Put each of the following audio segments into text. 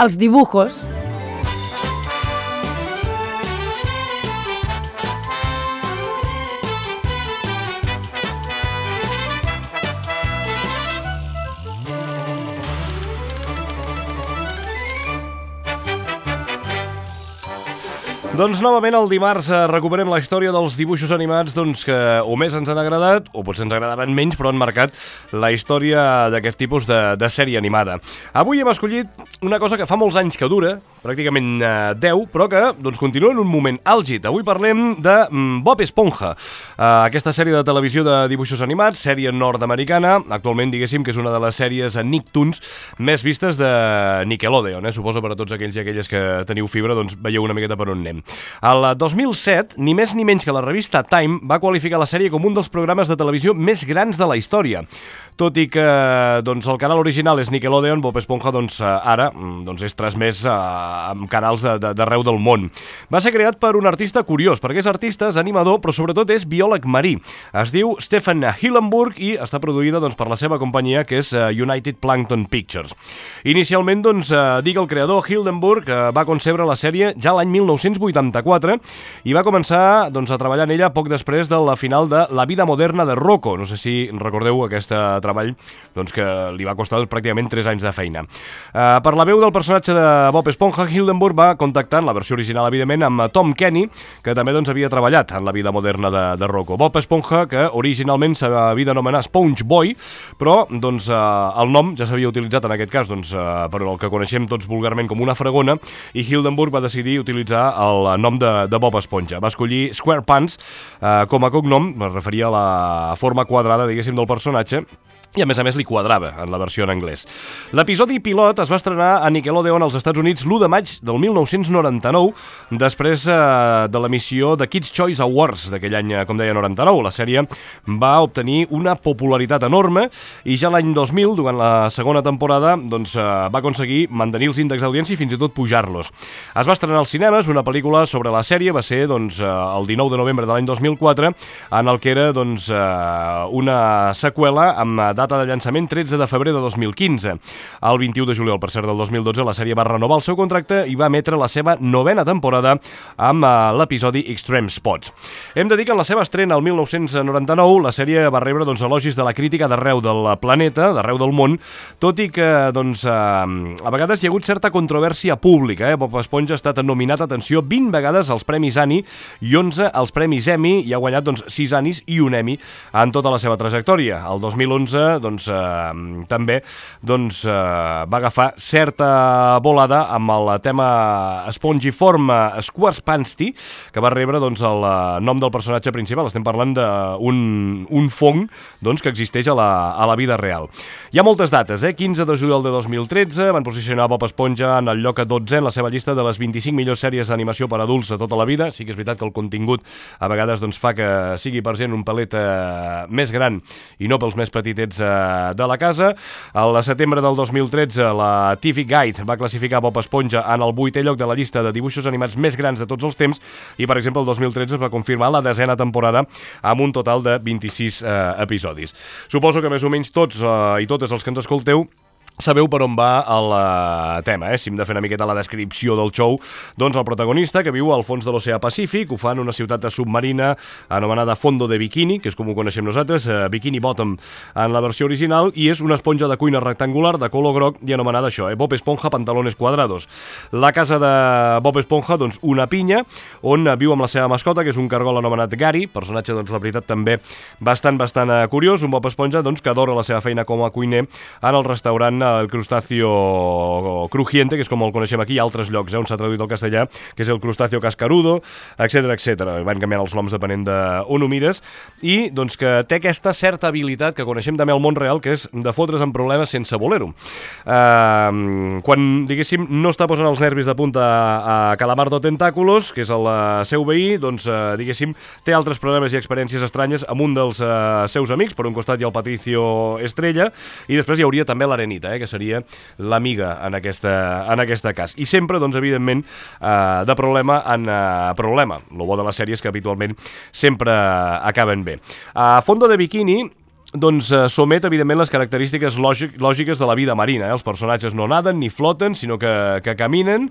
els dibujos. Doncs novament el dimarts recuperem la història dels dibuixos animats que o més ens han agradat o potser ens agradaven menys però han marcat la història d'aquest tipus de sèrie animada. Avui hem escollit una cosa que fa molts anys que dura, pràcticament 10, però que continua en un moment àlgid. Avui parlem de Bob Esponja, aquesta sèrie de televisió de dibuixos animats, sèrie nord-americana, actualment diguéssim que és una de les sèries a Nicktoons més vistes de Nickelodeon. Suposo per a tots aquells i aquelles que teniu fibra veieu una miqueta per on anem. El 2007, ni més ni menys que la revista Time va qualificar la sèrie com un dels programes de televisió més grans de la història. Tot i que el canal original és Nickelodeon, Bob Esponja ara és transmès amb canals d'arreu del món. Va ser creat per un artista curiós, perquè és artista, és animador, però sobretot és biòleg marí. Es diu Stephen Hillenburg i està produïda per la seva companyia, que és United Plankton Pictures. Inicialment, dic el creador, Hillenburg, va concebre la sèrie ja l'any 1984 i va començar a treballar en ella poc després de la final de La vida moderna de Rocco. No sé si recordeu aquest treball que li va costar pràcticament 3 anys de feina. Per la veu del personatge de Bob Esponja, Hillenburg va contactar, en la versió original evidentment, amb Tom Kenny, que també havia treballat en La vida moderna de Rocco. Bob Esponja, que originalment s'havia d'anomenar Sponge Boy, però el nom ja s'havia utilitzat en aquest cas per el que coneixem tots vulgarment com una fregona, i Hillenburg va decidir utilitzar el nom de Bob Esponja. Va escollir SquarePants com a cognom, es referia a la forma quadrada, diguéssim, del personatge, i a més li quadrava en la versió en anglès. L'episodi pilot es va estrenar a Nickelodeon als Estats Units l'1 de maig del 1999, després de l'emissió de Kids' Choice Awards d'aquell any, com deia, 99. La sèrie va obtenir una popularitat enorme i ja l'any 2000, durant la segona temporada, va aconseguir mantenir els índexs d'audiència i fins i tot pujar-los. Es va estrenar als cinemes una pel·lícula sobre la sèrie, va ser el 19 de novembre de l'any 2004, en el que era una seqüela amb data de llançament 13 de febrer de 2015. El 21 de juliol, per cert, del 2012, la sèrie va renovar el seu contracte i va emetre la seva 9a temporada amb l'episodi Extreme Spots. Hem de dir que en la seva estrena el 1999 la sèrie va rebre elogis de la crítica d'arreu del planeta, d'arreu del món, tot i que a vegades hi ha hagut certa controvèrsia pública. Bob Esponja ha estat nominat, atenció, 20 vegades als Premis Annie i 11 als Premis Emmy i ha guanyat 6 Annies i un Emmy en tota la seva trajectòria. El 2011 també va agafar certa volada amb el tema Spongiform Squarepants-Ty, que va rebre el nom del personatge principal. Estem parlant d'un fong que existeix a la vida real. Hi ha moltes dates, 15 de juliol de 2013 van posicionar Bob Esponja en el lloc 12 en la seva llista de les 25 millors sèries d'animació per adults de tota la vida. Sí que és veritat que el contingut a vegades fa que sigui per gent un pelet més gran i no pels més petitets de la casa. Al setembre del 2013 la TV Guide va classificar Bob Esponja en el 8è lloc de la llista de dibuixos animats més grans de tots els temps i, per exemple, el 2013 es va confirmar la 10a temporada amb un total de 26 episodis. Suposo que més o menys tots i totes els que ens escolteu sabeu per on va el tema, Si hem de fer una miqueta la descripció del show, el protagonista, que viu al fons de l'oceà Pacífic, ho fa en una ciutat submarina anomenada Fondo de Bikini, que és com ho coneixem nosaltres, Bikini Bottom en la versió original, i és una esponja de cuina rectangular de color groc i anomenada això, Bob Esponja Pantalones Cuadrados. La casa de Bob Esponja, una pinya, on viu amb la seva mascota, que és un cargol anomenat Gary, personatge, la veritat, també bastant curiós, un Bob Esponja, que adora la seva feina com a cuiner en el restaurant el crustáceo crujiente, que és com el coneixem aquí, i altres llocs on s'ha traduït al castellà, que és el crustáceo cascarudo, etc. Van canviant els noms depenent d'on ho mires, i que té aquesta certa habilitat que coneixem també al món real, que és de fotre's en problemes sense voler-ho. Quan, diguéssim, no està posant els nervis de punta a Calamardo Tentáculos, que és el seu veí, diguéssim, té altres problemes i experiències estranyes amb un dels seus amics. Per un costat hi ha el Patricio Estrella, i després hi hauria també l'Arenita, que seria l'amiga en aquest cas. I sempre, evidentment, de problema en problema. El bo de la sèrie és que habitualment sempre acaben bé. A Fondo de Bikini s'omet, evidentment, les característiques lògiques de la vida marina. Els personatges no naden ni floten, sinó que caminen.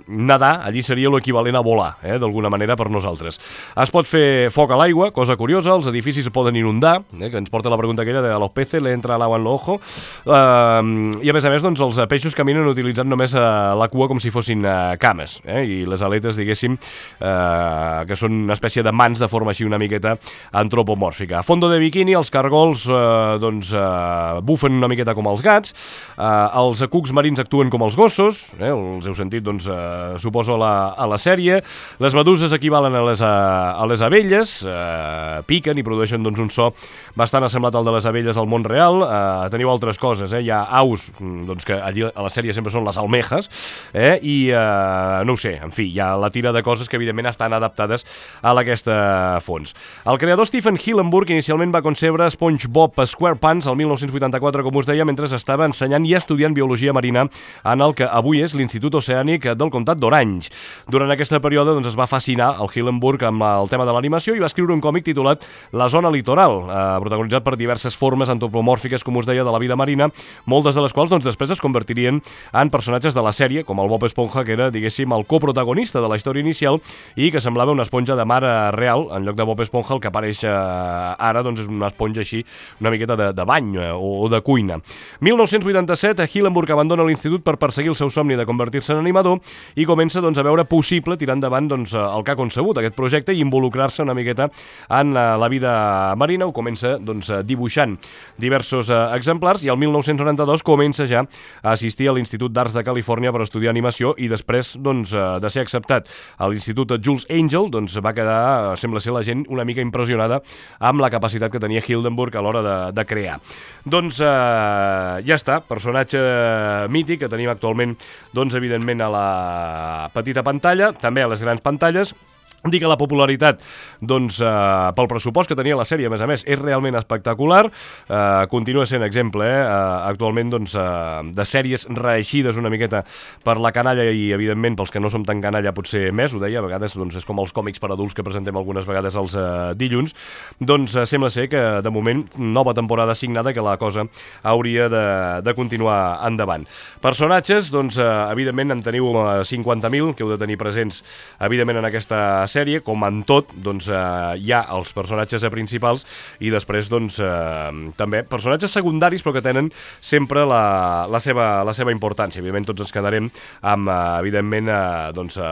Nadar allí seria l'equivalent a volar, d'alguna manera per nosaltres. Es pot fer foc a l'aigua, cosa curiosa, els edificis es poden inundar, que ens porta la pregunta aquella de a los peces le entra l'agua en l'ojo, i a més, els peixos caminen utilitzant només la cua com si fossin cames, i les aletes, diguéssim, que són una espècie de mans de forma així una miqueta antropomòrfica. A fondo de biquini, els cargols bufen una miqueta com els gats, els cucs marins actuen com els gossos, els heu sentit, suposo, a la sèrie. Les meduses equivalen a les abelles, piquen i produeixen un so bastant assemblat al de les abelles al món real. Teniu altres coses, hi ha aus, que allí a la sèrie sempre són les almejes, i no ho sé, en fi, hi ha la tira de coses que evidentment estan adaptades a aquesta fons. El creador Stephen Hillenburg inicialment va concebre SpongeBob SquarePants el 1984, com us deia, mentre estava ensenyant i estudiant biologia marina en el que avui és l'Institut Oceànic del Comtat d'Orange. Durant aquesta període es va fascinar el Hillenburg amb el tema de l'animació i va escriure un còmic titulat La zona litoral, protagonitzat per diverses formes antropomòrfiques, com us deia, de la vida marina, moltes de les quals després es convertirien en personatges de la sèrie, com el Bob Esponja, que era, diguéssim, el coprotagonista de la història inicial i que semblava una esponja de mar real. En lloc de Bob Esponja, el que apareix ara és una esponja així, una miqueta de bany o de cuina. 1987, Hillenburg abandona l'institut per perseguir el seu somni de convertir-se en animador i comença a veure possible tirar endavant el que ha concebut, aquest projecte, i involucrar-se una miqueta en la vida marina. Ho comença dibuixant diversos exemplars i el 1992 comença ja a assistir a l'Institut d'Arts de Califòrnia per estudiar animació i després de ser acceptat a l'Institut Jules Angel va quedar, sembla ser, la gent una mica impressionada amb la capacitat que tenia Hillenburg a l'hora de crear. Ja està, personatge mític que tenim actualment, evidentment, a la petita pantalla, també a les grans pantalles. Dir que la popularitat, pel pressupost que tenia la sèrie, a més, és realment espectacular. Continua sent exemple, actualment, de sèries reeixides una miqueta per la canalla i, evidentment, pels que no som tan canalla, potser més, ho deia, a vegades és com els còmics per adults que presentem algunes vegades els dilluns. Sembla ser que, de moment, nova temporada assignada, que la cosa hauria de continuar endavant. Personatges, evidentment, en teniu 50.000, que heu de tenir presents, evidentment, en aquesta sèrie, com en tot, hi ha els personatges principals i després, també personatges secundaris, però que tenen sempre la seva importància. Evidentment, tots ens quedarem amb, evidentment,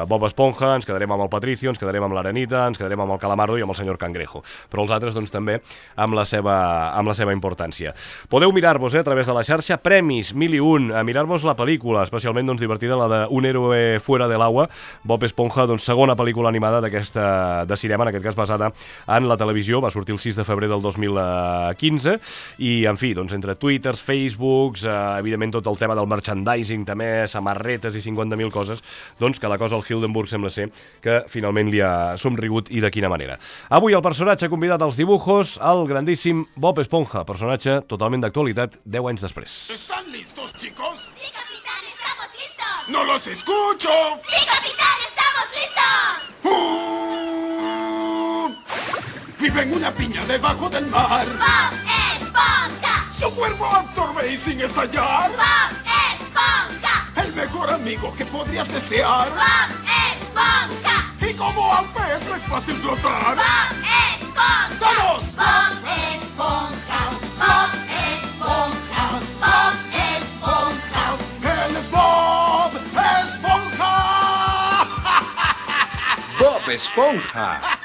Bob Esponja, ens quedarem amb el Patricio, ens quedarem amb l'Arenita, ens quedarem amb el Calamardo i amb el senyor Cangrejo. Però els altres, també, amb la seva importància. Podeu mirar-vos, a través de la xarxa, premis, 1001, a mirar-vos la pel·lícula, especialment, divertida, la de Un héroe fuera del agua, Bob Esponja, segona pel·lícula animada de cinema, en aquest cas basada en la televisió, va sortir el 6 de febrer del 2015, i, en fi, entre Twitters, Facebooks, evidentment tot el tema del merchandising, també, samarretes i 50.000 coses, que la cosa al Hillenburg sembla ser que finalment li ha somrigut, i de quina manera. Avui el personatge convidat als dibujos, el grandíssim Bob Esponja, personatge totalment d'actualitat 10 anys després. ¿Están listos, chicos? ¡Sí, capitán! ¡Estamos listos! ¡No los escucho! ¡Sí, capitán! ¡Estamos listos! Vive en una piña debajo del mar. ¡Bob Esponja! Su cuerpo absorbe y sin estallar. ¡Bob Esponja! El mejor amigo que podrías desear. ¡Bob Esponja! Y como al pez es fácil flotar. ¡Bob Esponja! ¡Todos! ¡Bob Esponja! ¡Bob Esponja! ¡Bob Esponja! Él es Bob Esponja. Bob Esponja.